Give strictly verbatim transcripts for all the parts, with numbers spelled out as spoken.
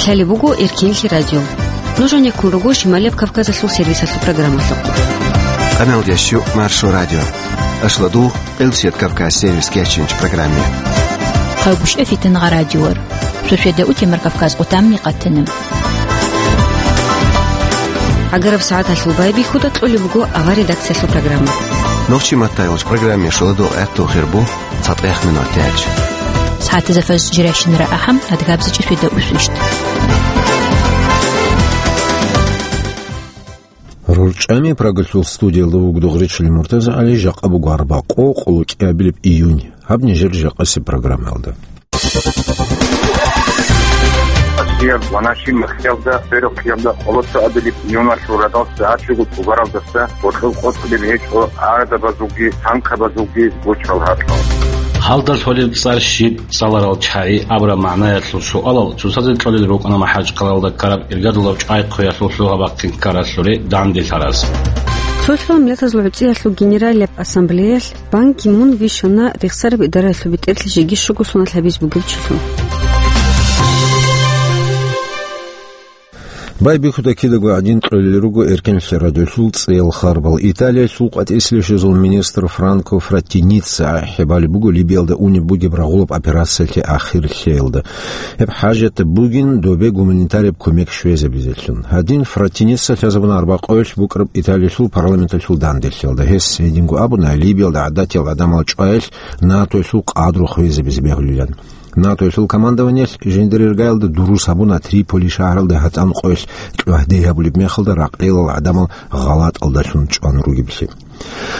Лъалеб буго Эркенлъи радио. Нуж гьанеккун руго Шималияб Кавказалъул сервисалъул программалъухъ. Къаналдящу Маршо радио. Ашладу Къилсият Кавказ сервис кечинч программе. Хъавбушев Фитнагъа радиор. Шошеда утемар Кавказ къутамни къатана. Агараб сагӀаталъул байбихьуда кьолеб буго авар редакциялъул программа. Нохчи маттайолч программе шоладо гӀатту хирбу. ЦатӀехъ минуталъ. СагӀатазда фаз жирайщинара ахӀам, адгабзичӀи шведа усвищт. РорчӀами Прагалъул студиялда вугдугъричил МуртазагӀали, жакъа буго арбакъо, къоло кӀиабилеб июнь. Гьаб нижер жакъасеб программаялда. Россия ва наши махьялда, Берухъиялда, къоло цоабилеб июналъул радал сагӀат щуго цӀугаралдаса гъоркьов къотӀулеб гьечӀо гӀарабазулги танкабазулги гучал гьаркьал. Гьалда лъолеб цӀар щиб, цӀаларал чагӀи абураб магӀнаялъул суалал цоцазе кьолел рукӀана МахӀачхъалаялда ккараб иргадулаб чӀвай хъуялъул лъугьа-бахъин ккаралъуре данделъараз. Цо-цо миллатазул гӀуцӀиялъул генералияб ассамблеялъ Бан Ги Мун вищана рехсараб идараялъул бетӀерлъи жеги щуго соналъ гьабиз бугев чилъун. Байбихьуда кидаго гӀадин кьолел руго Эркенлъи радиолъул цӀеял харбал. Италиялъул къватӀиселищезул министр Франко Фраттиница ахӀи балеб буго Либиялда унеб бугеб рагъулаб операциялъе ахир лъеялда. Гьеб хӀажат бугин добе гуманитарияб кумек щвезабизелъун. Гьадин Фраттиница лъазабуна арбакъоялъ букӀараб Италиялъул парламенталъул данделъиялда. Гьес гьединго абуна, Либиялда гӀадатиял гӀадамал чӀваялъ НАТОялъул къадру хвезабизе бегьулилан. НАТОялъул командованиялъ жиндир иргаялда дурус гьабуна Триполи шагьаралда гьатӀан къоялъ чӀвагьде гьабулеб мехалда ракъилал гӀадамал гъалатӀалдалъун чӀван ругеблъи.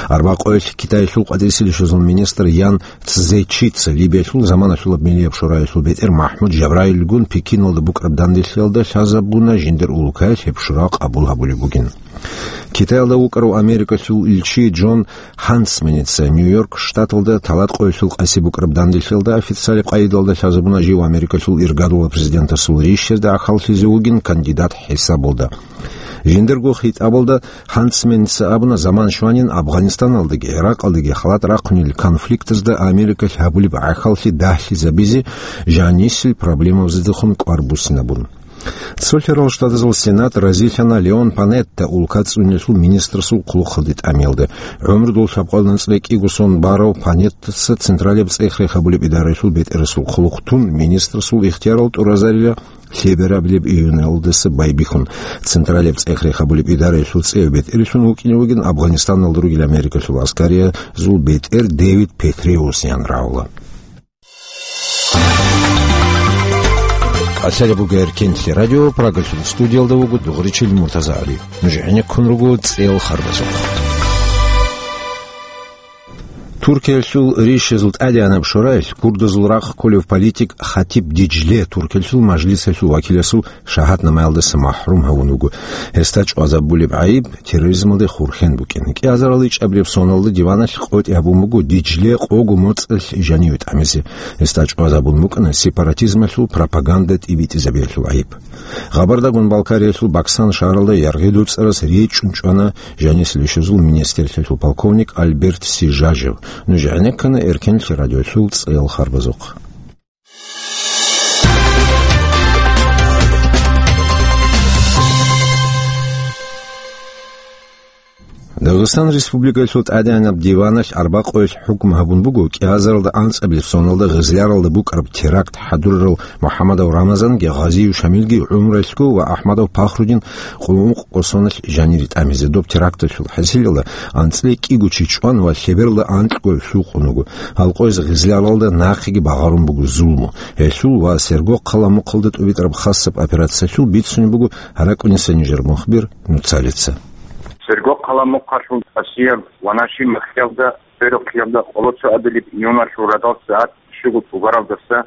Арбакъоялъ Китаялъул къватӀиселищезул министр Ян Цзечица Либиялъул заманалъулаб миллияб шораялъул бетӀер МахӀмуд Жабраилгун Пекиналда букӀараб данделъиялда лъазабуна жиндир улукаялъ гьеб шура къабул гьабулеб бугин. Китаялда вукӀарав Америкалъул илчи Джон Хансменица Нью-Йорк штаталда талатӀкъоялъул къаси букӀараб данделъиялда официалаб къайдалда лъазабуна жив Америкалъул иргадулаб президентасул рищазда гӀахьаллъизе вугин кандидат хӀисабалда. Жиндирго хитӀабалда Хансменица абуна, заман щванин Афганистаналдаги ГӀиракъалдаги халат рахъунел конфликтазда Америкалъ гьабулеб гӀахьаллъи дагьлъизабизе жанисел проблемабаздехун кӀвар буссинабун. Цолъарал Штатазул Сенат разилъана Леон Панетта улка цӀунелъул министрасул хъулухъалде тӀамиялда. ГӀумру дол лъабкъоялда анцӀила кӀиго сон барав Панеттаца Централияб цӀех рехабулеб идараялъул бетӀерасул хъулухъ тун, министрасул ихтиярал тӀуразарила лъеберабилеб июналдаса байбихьун. Централияб цӀех рехабулеб идараялъул цӀеяв бетӀерлъун вукӀине вугин Афганистаналда ругел Америкалъул аскариязул бетӀер Дэвид Петреусиян рагӀула. КӀалъалеб буго Эркенлъи радио, Прагалъул студиялда вуго дугъричил МуртазагӀали. Нуж гӀенеккун руго цӀеял харбазухъ. Туркиялъул рищазул тӀадегӀанаб шораялъ курдазул рахъ кколев политик Хатиб Диджле Туркиялъул мажлисалъул вакиласул шагьатнамаялдаса махӀрум гьавун вуго. Гьесда чӀвазабулеб гӀайиб терроризмалде хурхен букӀин. КӀиазарал ичӀабилеб соналда диваналъ къотӀи гьабун буго Диджле къого моцӀалъ жаниве тӀамизе. Гьесда чӀвазабун букӀана сепаратизмалъул пропаганда тӀибитӀизабиялъул гӀайиб. Гъабардагун Балкариялъул Баксан шагьаралда яргъи дуцӀарас речӀчӀун чӀвана жанисел ишазул министрлъиялъул полковник Альберт Сижажев. Нуж гӀенеккана Эркенлъи радиолъул цӀеял харбазухъ. Дагъистан Республикалъул тӀадегӀанаб диваналъ арбакъоялъ хӀукму гьабун буго кӀиазаралда анцӀабилеб соналда Гъизляралда букӀараб теракт хӀадурарал МухӀамадов Рамазанги Гъазиев Шамилги гӀумруялъго ва АхӀмадов Пахрудин къулмукъ къосоналъ жанире тӀамизе. Доб теракталъул хӀасилалда анцӀила кӀиго чи чӀван ва лъебералда анкьго лъукъун вуго. Гьалкъояз Гъизляралда нахъеги багъарун буго зулму. Гьелъул ва Сергокъала мухъалда тӀубитӀараб хасаб операциялъул бицунеб буго гьаракӀуниса нижер мухбир нуцалица. Сергокъала мухъалъул Асияб ва Наши махьялда, Берухъиялда къоло цоабилеб июналъул радал сагӀат щуго цӀугаралдаса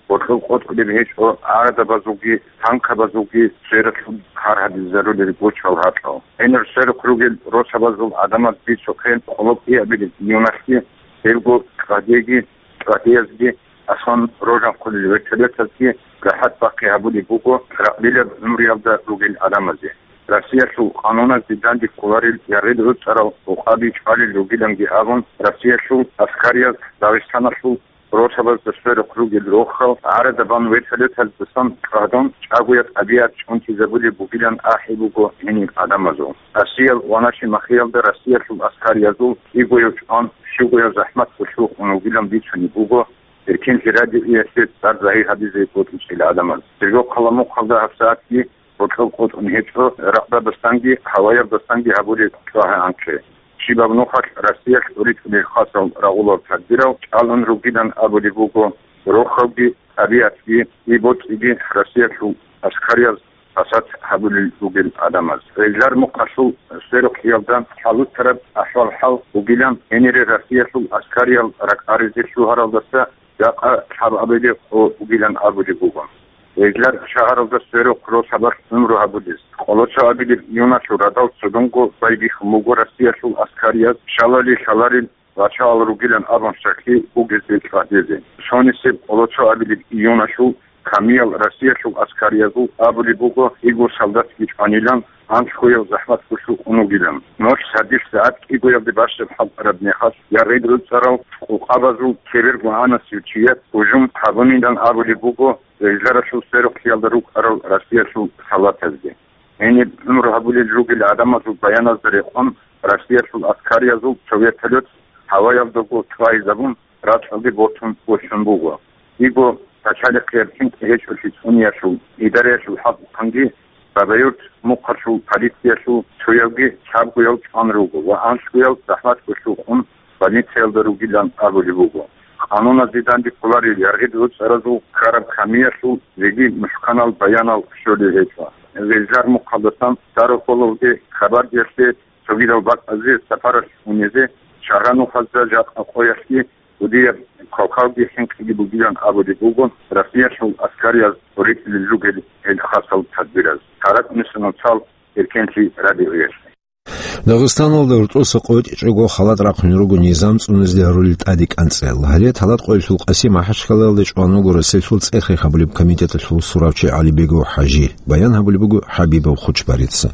гъоркьов къотӀулеб гьечӀо гӀарабазулги танкабазулги сверухъ гьар гьадизарулел гучал гьаркьал. Гьенир сверухъ ругел росабазул гӀадамаз бицухъе къоло кӀиабилеб июналъги, гьелго чӀвадеги, чӀвадеязги аслан рожанхъулел вертолетазги рахӀат бахъи гьабулеб буго ракълилаб гӀумруялда ругел гӀадамазе. Россиялъул къануназде данде кколарел яргъи дуцӀарал гӀукъаби чӀвалел ругиланги абун, Россиялъул аскарияз Дагъистаналъул росабазда сверухъ ругел рохал гӀарадаби вертолеталдасан чӀвадун, чӀагояб тӀабигӀат чӀунтизабулеб бугилан ахӀи буго гьениб гӀадамазул. Россиял ванашимахиялда Россиялъул аскариязул кӀигояв чӀван, щугояв захӀмат гъулъухъун вугилан бицунеб буго Эркенлъи радиоялъе цӀар загьир гьабизе бокьичӀел гӀадамаз. Церго хъаламухъалда гьабсагӀатги бокьоб къотӀун гьечӀо рагъдабасанги гьаваялдасанги гьабулеб чӀвагӀи анкье. Щибаб нухалъ Россиялъ уритӀулел хасал рагъулал тадбирал чӀалун ругилан абулеб буго, рохалги, тӀабигӀатги, и бокьиги Россиялъул аскарияб пасат гьабулел ругел гӀадамаз. Гьезлар мухъалъул сверухъиялда хӀалуцараб ахӀвал-хӀал бугилан, гьенире Россиялъул аскариял ракӀаризе лъугьаралдаса жакъа лъабабилеб къо бугилан абулеб буго. Гьезлар шагьаралда сверухъ росабалъ гӀумру гьабулез. Къоло цо абилеб июналъул радал цодонго байбихьун буго Россиялъул аскарияз шалали лъаларел вачагӀал ругилан абун щаклъи бугезде чӀвадезе. Цонисеб къоло цо абилеб июналъул камиял Россиялъул аскариязул абулеб буго, кӀиго солдатги чӀванилан, анлъгояв захӀмат гъулъухъун вугилан. Ноль садилъ сагӀат кӀигоялде бащад хӀалтӀараб мехалъ, яргъид гӀуцӀарал къукъабазул кибергогӀанасев чияс гьужум гьабунилан абулеб буго гьезларалъул сверухъиялда рукӀарал Россиялъул солдатазде. Гьениб гӀумру гьабулел ругел гӀадамазул баяназда рекъон, Россиялъул аскариязул цо вертолет гьаваялдаго тӀвайзабун, ракьалде бортун босун буго. КӀиго пачалихъияб хӀинкъи гьечӀолъи цӀуниялъул, идараялъул хӀакъухъанги Бабаюрт мухъалъул полициялъул цоявги лъабгояв чӀван руго ва анлъгояв захӀмат гъулъухъун больницаялда ругилан абулеб буго. Къануназе данде кколарел яргъид гӀуцӀаразул ккараб камиялъул жеги мухӀканал баянал щолел гьечӀо. Гьезлар мухъалдасан Старохоловде, Кабардиялъе, цогидал бакӀазе сапаралъ унизе, шагьранухъазда жакъа къоялъги кӀудияб квалквалги хӀинкъиги бугилан абулеб буго Россиялъул аскарияз гъоркьилел ругел гьел хасал тадбираз. ТаракӀунесанал цал Эркенлъи радиоялъ. Дагъистаналда рутӀоса къотӀичӀого халат рахъун руго низам цӀунизде гьарулел тӀаде кӀанцӀел. Гьале Талат къоялъул Къаси МахӀачхъалаялда чӀван вуго Россиялъул цӀех-рех гьабулеб комитеталъул суравчи ГӀалибегов ХӀажи. Баян гьабулеб буго ХӀабибов Хучбарица.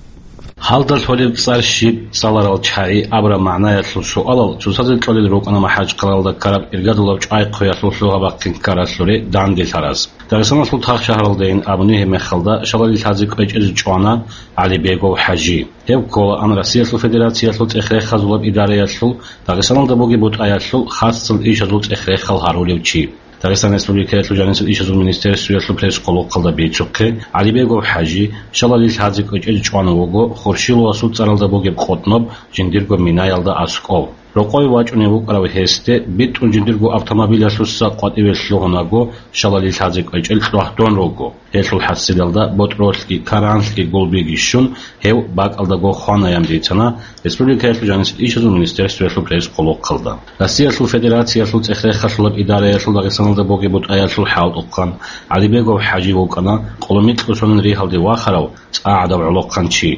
Гьалда лъолеб цӀар щиб, цӀаларал чагӀи абураб магӀнаялъул суалал цоцазе кьолел рукӀана МахӀачхъалаялда ккараб иргадулаб чӀвай-хъвеялъул лъугьа-бахъин ккаралъуре данделъараз. Дагъистаналъул Тах шагьаралдайин абуни гьеб мехалда шалали лъазе кӀвечӀезе чӀвана ГӀалибегов ХӀажи. Гьев кколаан Россиялъул Федерациялъул цӀех-рехазулаб идараялъул Дагъистаналда бугеб бутӀаялъул хасцал ишазул цӀех-рехал гьарулев чи. Дагъистан Республикаялъул жанисел ишазул министерствоялъул пресс-къулухъалда бицухъе, ГӀалибегов ХӀажи шалали лъазе кӀвечӀезе чӀван вуго Хуршиловасул цӀаралда бугеб къотӀноб жиндирго минаялда аскӀов. Рокъове вачӀунев вукӀарав гьесде битӀун жиндирго автомобилялъуса къватӀиве лъугьунаго, шалали лъазе кӀвечӀел кьвагьдон руго. Гьелъул хӀасилалда ботӀролъги, каранлъги, гулбиги щун, гьев бакӀалдаго хванаян бицана Республикаялъул жанисел ишазул министерствоялъул пресс-къулухъалда. Россиялъул Федерациялъул цӀех-рехалъулаб идараялъул Дагъистаналда бугеб бутӀаялъул хӀалтӀухъан ГӀалибегов ХӀажи вукӀана къоло микьго сонин ригьалде вахарав цӀа гӀадав гӀолохъанчи.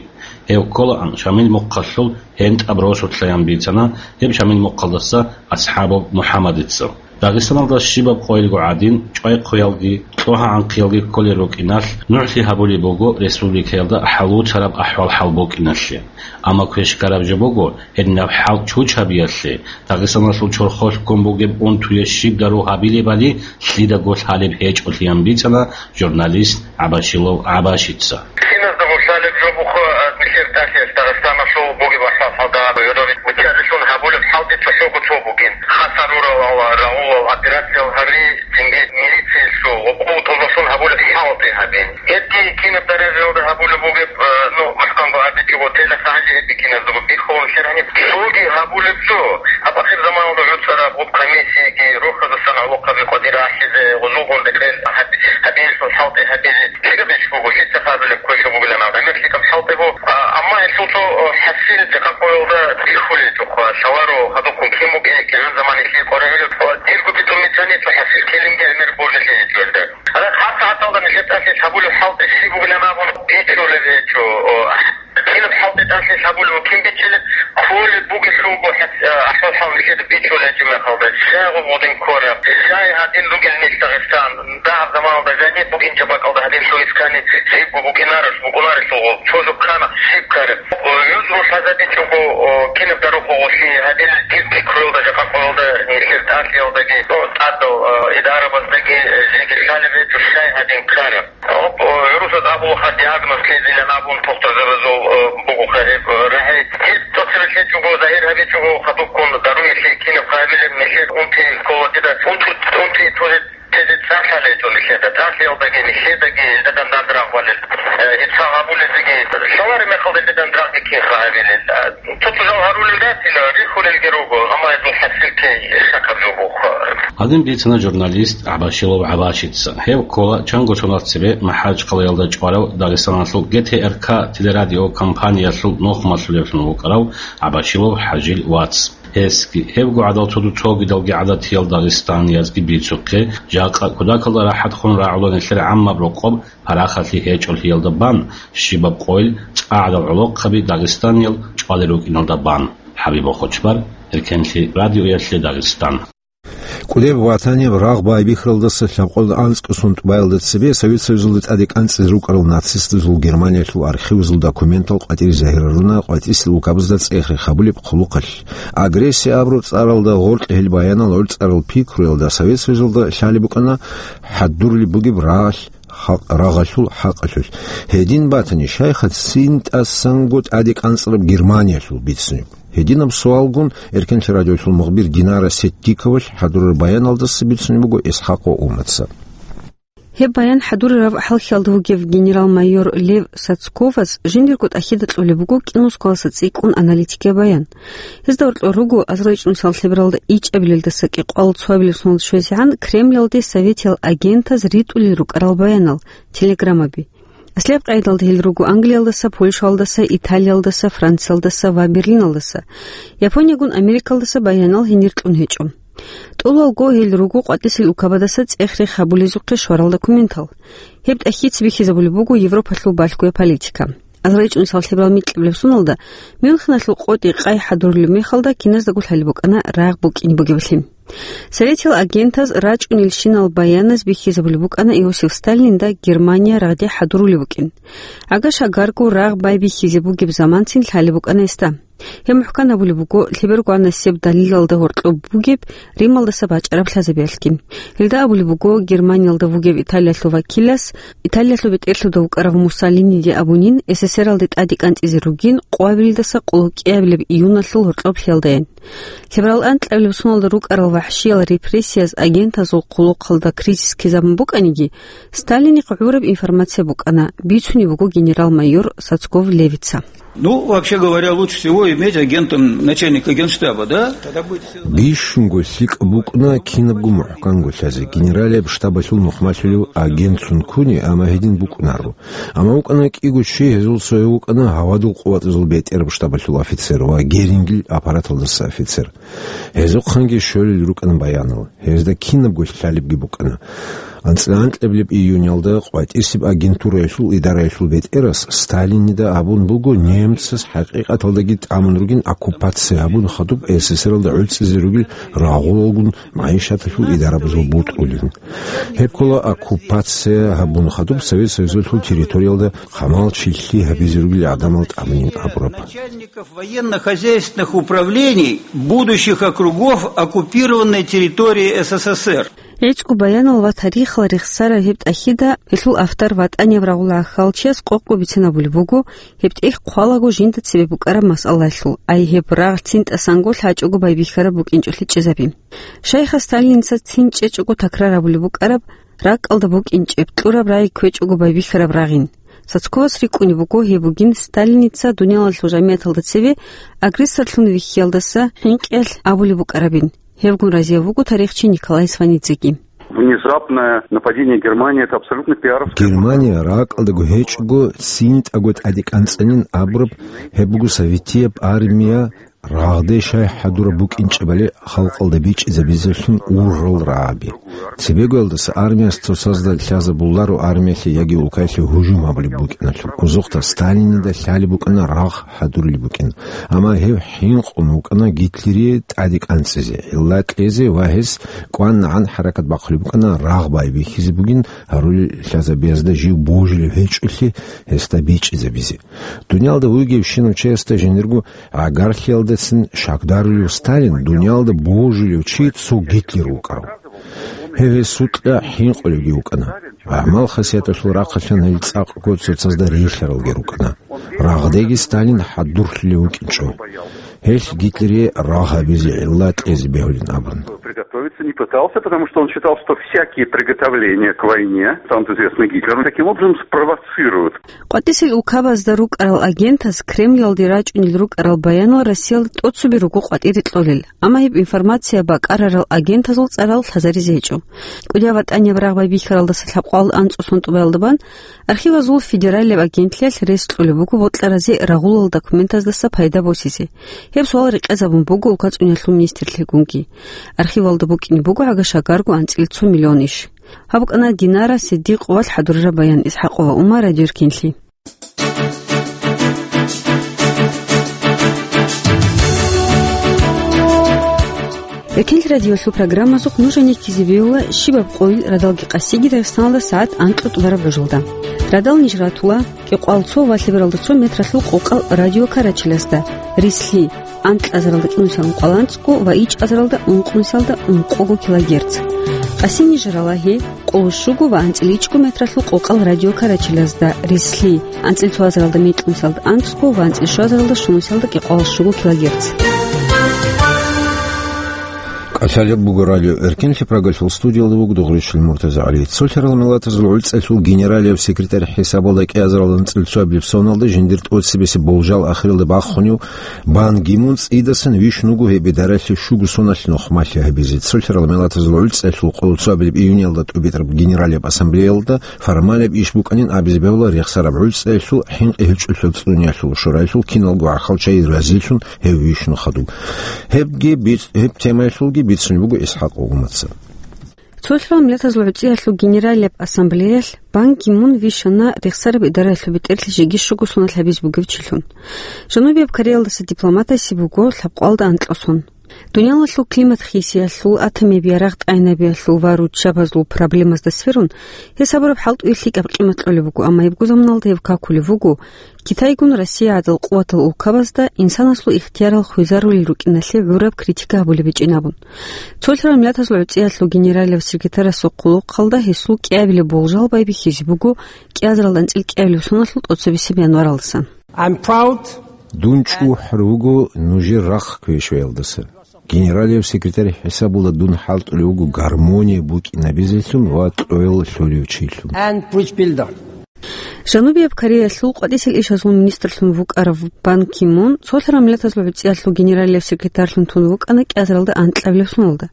Гьев кколаан Шамил мухъалъул ГьентӀаб росулъаян бицана гьеб Шамил мухъалдаса АсхӀабов МухӀаммадица. Дагъистаналда щибаб къойилго гӀадин, чӀвай-хъвеялги, кьогьа-гӀанхъиялги кколел рукӀиналъ, нугӀлъи гьабулеб буго республикаялда хӀалуцараб ахӀвал-хӀал букӀиналъе. Амма квешкараб жо буго гьединаб хӀал чучабиялъе, Дагъистаналъул чорхолъ ккун бугеб унтуе щиб дару гьабилебали лъидаго лъалеб гьечӀолъиян бицана журналист ГӀабашилов ГӀабашица. Киназдаго лъалеб жо буго, а, нилъер тӀалъиялъ Дагъистаналъул бугеб ахӀвал-хӀалда гӀодове бучӀарилъун гьабулеб хӀалтӀи цохӀого цо бугин. Хасар рурал, рагъулал операциял гьари, цинги милициялъул гъоб-къуваталдалъун гьабулеб хӀалтӀи гьабин. Гьебги кинаб даражаялда гьабулеб бугеб, а, ну, мухӀканго абичӀого, телахъ гьанже гьебги киназдаго бихьулун хирани. Цоги гьабулеб жо, гьаб ахир заманалда гӀуцӀараб гъоб комиссияги, рохазасан гӀолохъаби къватӀир ахӀизе, гъозулгун рекъел гьаб-, гьабиялъул хӀалтӀи гьабизе. Лъикаб иш буго, лъица хадулеб квешаб бугилан аб. ГӀемер лъикаб хӀалтӀи бу-, а, амма гьелъул цо, о, хӀасил жакъа къоялда бихьулел чӀухъа, лъаларо гьадухъун кин бугеб, кигӀан заман гьелъие къваригӀулеб, о, дирго битӀун бицани, цо хӀасил килимги гӀемер божалъи гьечӀо гьелда. Гьале гьаб сагӀаталда нилъер тӀалъи лъабулеб хӀалтӀи щиб бугилан абун бичулеб гьечӀо, о, кинаб хӀалтӀи тӀалъи лъабулеб, кин бичилеб, кколеб бугелъулго хӀет-, а, ахӀвал-хӀал нилъеда бичулеб гьечӀеб мехалда, щай гъоб гъодин кколеб, щай гьадин ругел нилъ Дагъистан, дагьаб заман Алда жаниб букӀинчӀеб бакӀалда гьадинлъун искани, лъибго букӀинарелъ, букӀунарелъул гъол, цо жо ккана, лъиб ккараб. О, юз рухӀ лъазабичӀого, о, кинаб дарухъ гъолъи гьадин, дир пикруялда, жакъа къоялда, нилъер тӀалъиялдаги, о, тӀадал, о, идарабаздаги, э, жеги лъалеб гьечӀо, щай гьадин ккараб. О, о, гӀурусаз абулаха диагноз лъезилан абун тухтурзабазул, о, бугоха гьеб, о, рагӀи. Гьеб цо-, цебе лъечӀого, загьир гьабичӀого, хадубккун даруялъе кинаб хъайбилеб нилъер унти ккола дида, унту-, унти тузе Тезе цӀар лъалей тӀолилъеда, тӀалъиялдаги, нилъедаги, илдадан дандрагъ балел. Э, ицан гьабулезеги, лъалареб мехалда илдадан рагъги кин хъагӀабилел. Э, цо-цо жал гьарулел ратила, рихьулелги руго, амма гьезул хӀасил ккей шакаб жо буго. Гьадин бицана журналист ГӀабашилов ГӀабашица. Гьев ккола чанго соналъ цебе МахӀачхъалаялда чӀварав Дагъистаналъул Г Т Р К телерадиокомпаниялъул нухмалъулевлъун вукӀарав ГӀабашилов ХӀажил вац. Гьесги, гьебго гӀадал цо-, цогидалги гӀадатиял дагъистаниязги бицухъе, жакъа кутакалда рахӀатхун рагӀула нилъер гӀаммаб рокъоб парахалъи гьечӀолъиялда бан, щибаб къойил цӀа гӀадал гӀолохъаби дагъистаниял чӀвалел рукӀиналда бан. ХӀабиб Хочбар, Эркенлъи радиоялъе Дагъистан. КӀудеб ватаниб рагъ байбихьаралдаса лъабкъоялда анцӀго сон тӀубаялда цебе Совет Союзалда тӀаде кӀанцӀизе рукӀарал нацистазул Германиялъул архивазул документал къватӀире загьирлъуна къватӀисел укабазда цӀех-рех гьабулеб хъулухъалъ. Агрессия абураб цӀаралда гъоркье гьел баянал гӀорцӀарал пикруялда Совет Союзалда лъалеб букӀана хӀадурулеб бугеб рагъалъ, хакъ-, рагъалъул хӀакъалъулъ. Гьедин батани, щайха цин тӀасанго тӀаде кӀанцӀараб Германиялъул бицунеб? Гьединаб суалгун Эркенлъи радиоялъул мухбир Динара Сеттиковалъ хӀадурараб баяналдаса бицунеб буго ИсхӀакъ ва Умаца. Гьеб баян хӀадурараб хӀалхьиялда вугев генерал-майор Лев Сацковас жиндирго тӀахьида кьолеб буго КӀинусковалъа цӀикӀкӀун аналитикияб баян. Гьезда гьоркьор руго азарилчӀунусиялда лъебералда ичӀабилелдаса кӀикъоялда цоабилеб соналда щвезегӀан Кремлалде советиял агентаз ритӀулел рукӀарал баянал, телеграммаби. Аслияб къайдалда гьел руго Англиялдаса, Польшаялдаса, Италиялдаса, Франциялдаса ва Берлиналдаса. Япониягун Америкалдаса баянал гьенир кьун гьечӀо. ТӀолалго гьел руго къватӀисел укабадаса цӀех-рех гьабулезухъе щварал документал. Гьеб тӀахьица бихьизабулеб буго Европалъул балъгояб политика. АзарилчӀунусиялда лъеберал микьабилеб соналда Мюнхеналъул къотӀи къай хӀадурулеб мехалда киназдаго лъалеб букӀана рагъ букӀине бугеблъи. Советиял агентаз рачӀунелщинал баяназ бихьизабулеб букӀана Иосиф Сталинда Германия рагъде хӀадурулеб букӀин. ГӀага-шагарго рагъ байбихьизе бугеб заманцин лъалеб букӀана гьесда. Гьеб мухӀкан абулеб буго, лъеберго гьанасеб далилалда гьоркьоб бугеб Рималдаса бачӀараб лъазабиялъги. Гьелда абулеб буго, Германиялда вугев Италиялъул вакилас, Италиялъул бетӀерлъуда вукӀарав Муссолиниде абунин, С С С Р-алде тӀаде кӀанцӀизе ругин, къоабилдаса къоло кӀиабилеб июналъул гьоркьоблъиялдайин. Лъеберал анкьабилеб соналда рукӀарал вахӀшиял репрессияз агентазул хъулухъалда кризис ккезабун букӀаниги, Сталинихъ гӀураб информация букӀана, бицунеб буго генерал-майор Сацков Левица. Ну, вообще говоря, лучше всего иметь агентом начальника генштаба, да? Тогда будет всё. Бищунго лъикӀаб букӀуна кинабго мухӀканго лъазе, генералияб штабалъул нухмалъулев агентцун ккуни, амма гьедин букӀунаро. Амма вукӀана кӀиго чи, гьезул цояв вукӀана гьавадул къуватазул бетӀераб штабалъул офицер ва Герингил аппараталдаса офицер. Гьезухъанги щолел рукӀана баянал, гьезда кинабго лъалебги букӀана. АнцӀила анкьабилеб июнялда къватӀисеб агентураялъул идараялъул бетӀерас Сталинида абун буго, немцаз хӀакъикъаталдаги тӀамун ругин оккупация гьабун хадуб С С С Р-алда гӀуцӀизе ругел рагъулалгун магӀишаталъул идарабазул бутӀрулин. Гьеб ккола оккупация гьабун хадуб Совет Союзалъул территориялда хъамал чилъи гьабизе ругел гӀадамал тӀамунин абураб. Начальников военно-хозяйственных управлений будущих округов оккупированной территории С С С Р. ГӀицӀго баянал ва тарихал рехсараб гьеб тӀахьида гьелъул автор ВатӀанияб рагъул гӀахьалчияс къокъго бицинабулеб буго, гьеб тӀехь хъвалаго жинда цебе букӀараб масъалаялъул, ай гьеб рагъ цин тӀасанго лъачӀого байбихьараб букӀинчӀолъи чӀезаби. Шайха Сталиница цин чӀечӀого такрар абулеб букӀараб, ракӀалда букӀинчӀеб, кьураб рагӀи кквечӀого байбихьараб рагъин. Сацковас рикӀкӀунеб буго, гьеб бугин Сталиница дуниялалъул жамигӀаталда цеве агрессорлъун вихьиялдаса хӀинкъиялъ абулеб букӀарабин. Гьевгун разияв вуго тарихчи Николай Сванидзеги. Внезапное нападение Германии — это абсолютно пиаровский. Германия ракӀалдаго гьечӀого, цинтӀаго тӀаде кӀанцӀанин абураб, гьеб буго советияб армия Рагъде щай хӀадураб букӀинчӀебали халкъалда бичӀчӀизабизелъун ургъел рагӀаби. Цебегоялдаса армияс цоцазда лъазабуларо армиялъе яги улкаялъе гьужум гьабулеб букӀиналъул. Озухъда Сталинида лъалеб букӀана рагъ хӀадурулеб букӀин. Амма гьев хӀинкъун вукӀана Гитлерие тӀаде кӀанцӀизе, гӀилла кьезе ва гьес кӀванагӀан хӀаракат бахъулеб букӀана рагъ байбихьизе бугин гьарулел лъазабиязда жив божилев гьечӀолъи гьесда бичӀчӀизабизе. Дуниялда вугевщинав чиясда жиндирго гӀагарлъиялдасан щакдарулев Сталин дуниялда божилев чи цо Гитлер вукӀарав. Гьев гьесукьа хӀинкъулевги вукӀана. ГӀамал-хасияталъул рахъалъан гьел цӀакъго цоцазда рихьаралги рукӀана. Рагъдеги Сталин хӀадурлъулев вукӀинчӀо. Гьелъ Гитлерие рагъ гьабизе гӀилла кьезе бегьулин абун. Приготовиться не пытался, потому что он считал, что всякие приготовления к войне, станут известны Гитлеру, таким образом спровоцируют. КъватӀисел улкабазда рукӀарал агентас Кремльалде рачӀунел рукӀарал баянал Россиялда тӀоцебе руго къватӀире кьолел, амма гьеб информация бакӀарарал агентазул цӀарал лъазаризе гьечӀо. КӀудияб ВатӀанияб рагъ байбихьаралдаса лъабкъоялда анцӀу сон тӀубаялда бан архивазул федералияб агентлъиялъ рес кьолеб буго бокьаразе рагъулал документаздаса пайда босизе. Гьеб суал рекъезабун буго улкацӀунялъул министрлъигунги. Архивалда букӀине буго гӀага шагарго анцӀил цо миллион иш. Гьаб букӀана Динара Сиддикъовалъ хӀадурараб баян. ИсхӀакъова Умар, Радио Эркенлъи. Эркенлъи радиолъул программазухъ нуж гьанир ккезе бегьула щибаб къойил радалги къасиги Дагъистаналда сагӀат анкьго тӀубараб гӀужалда. Радал ниж ратула кӀикъоялда цо ва лъебералда цо метралъул къокъал радиокарачелазда, рислъи, анкьазаралда кӀинусиялда ункъоялда анцӀго ва ичӀазаралда ункънусиялда ункъого килогерц. Къаси ниж ралагьи къоло щуго ва анцӀил ичӀго метралъул къокъал радиокарачелазда, рислъи, анцӀил цоазаралда мекьнусиялда анцӀго ва анцӀил щуазаралда щунусиялда кӀикъоялда щуго килогерц. КӀалъалеб буго Радио Эркенлъи, Прагалъул студиялда вуго Дугъричил МуртазагӀали. Цолъарал миллатазул гӀуцӀиялъул генералияб секретарь хӀисабалда кӀиазарал анцӀил цоабилеб соналда жиндир тӀоцебесеб болжал ахиралда бахунев Бан Ги Мун цӀидасан вищун вуго гьеб идаралъе щуго соналъ нухмалъи гьабизе. Цолъарал миллатазул гӀуцӀиялъул къоло цоабилеб июньалда тӀубитӀараб Генералияб Ассамблеялда формалияб иш букӀанин абизе бегьула Рехсараб гӀуцӀиялъул хӀинкъи гьечӀолъиялда цӀунеялъул шуралъул киналго гӀахьалчагӀи разилъун гьев вищун хадуб. Гьебги биц-, гьеб темаялъулги бицун буго ИсхӀакъ Умаца. Цолъарал миллатазул гӀуцӀиялъул Генералияб Ассамблеялъ Бан Ги Мун вищана Рехсараб идараялъул бетӀерлъи жеги щуго соналъ гьабизе бугев чилъун. Жанубияб Кореялдаса дипломатаси буго лъабкъоялда анкьго сон. Дуниялалъул климат хисиялъул, атомияб ярагъ тӀайнабиялъул ва руччабазул проблемазда сверун, гьесабураб хӀалтӀуе лъикӀаб къимат кьолеб буго, амма гьебго заманалда гьев какулев вуго Китайгун Россия гӀадал къуватал улкабазда инсанасул ихтиярал хвезарулел рукӀиналъе гӀураб критика гьабулеб гьечӀин абун. Цолъарал миллатазул гӀуцӀиялъул генералияб секретарасул хъулухъалда гьесул кӀиабилеб болжал байбихьизе буго кӀиазарал анцӀил кӀиабилеб соналъул тӀоцебесеб январалдасан. I'm proud. Дун чӀухӀар вуго нужер рахъ квешваялдаса. Генералияб секретарь хӀисабула дун хӀалтӀулев вуго гармония букӀинабизелъун ва кьоял лъолев чилъун. And bridge builder. Жанубияб Кореялъул къватӀисел ишазул министрлъун вукӀарав Бан Ки Мун, Цолъарал миллатазул гӀуцӀиялъул генералияб секретарьлъун тун вукӀана кӀиазаралда анкьабилеб соналда.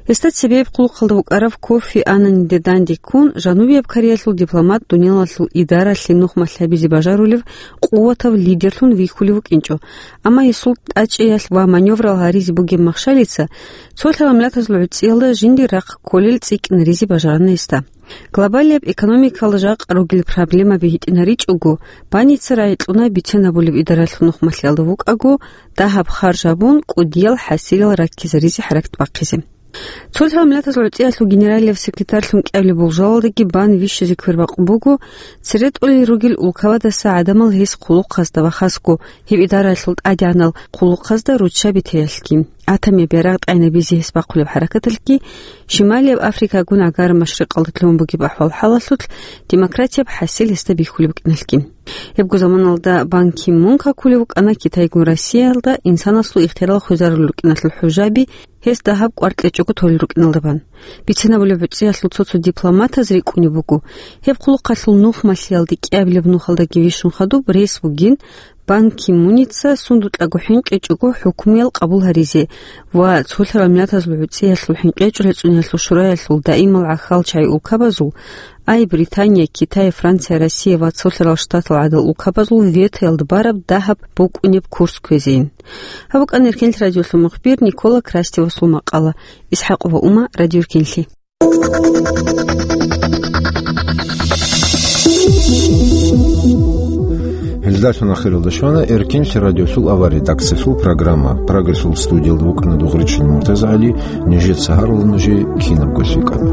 Гьесда цебе гьеб хъулухъалда вукӀарав Кофи Аннаниде дандеккун, Жанубияб Кореялъул дипломат дуниялалъул идаралъе нухмалъ гьабизе бажарулев къуватав лидерлъун вихьулев вукӀинчӀо, амма гьесул тӀачӀиялъ ва маневрал гьаризе бугеб махщалица Цолъарал миллатазул гӀуцӀиялда жиндир рахъ кколел цӀикӀкӀинаризе бажарана гьесда. Глобалияб экономикалда жакъа ругел проблемаби гьитӀинаричӀого, Баница рагӀи кьуна бицен абулеб идаралъул нухмалъиялда вукӀаго, дагьаб харж гьабун, кӀудиял хӀасилал раккизаризе хӀаракат бахъизе. Цолъарал миллатазул гӀуцӀиялъул генералияб секретарьлъун кӀиабилеб болжалалдаги Бан вищизе квербакъ буго, цере тӀолел ругел улкабадаса гӀадамал гьес хъулухъазда ва хасго гьеб идаралъул тӀадегӀанал хъулухъазда руччаби теялъги, атомияб ярагъ тӀайнабизе гьес бахъулеб хӀаракаталъги, Шималияб Африкагун ГӀагар-Машрикъалда лъугьун бугеб ахӀвал-хӀалалъулъ демократияб хӀасил гьесда бихьулеб букӀиналъги. Гьебго заманалда Бан Ки Мун какулев вукӀана Китайгун Россиялда инсанасул ихтиярал хвезарулел рукӀиналъул хӀужаби гьес дагьаб кӀвар кьечӀого толел рукӀиналда бан. Бицен абулеб гӀуцӀиялъул цо-цо дипломатаз рикӀкӀунеб буго, гьеб хъулухъалъул нухмалъиялде кӀиабилеб нухалдаги вищун хадуб рес бугин, Бан Ки Муница сундукьаго хӀинкъичӀого хӀукмуял къабул гьаризе ва Цолъарал миллатазул гӀуцӀиялъул хӀинкъичӀого цӀунеялъул шураялъул даимал гӀахьалчагӀи улкабазул ай Британия, Китай, Франция, Россия ва Цолъарал Штатал гӀадал улкабазул ветоялда бараб дагьаб букӀунеб курс кквезейин. Гьаб букӀана Эркенлъи радиолъул мухбир Никола Крастевасул макъала. ИсхӀакъова Ума, Радио Эркенлъи. Гьелдалъун ахиралда щвана Эркенлъи радиолъул авар редакциялъул программа. Прагасул студиялда вукӀана Дугъричин МуртазагӀали, нижеца гьарулел нужее кинабго лъикӀаб.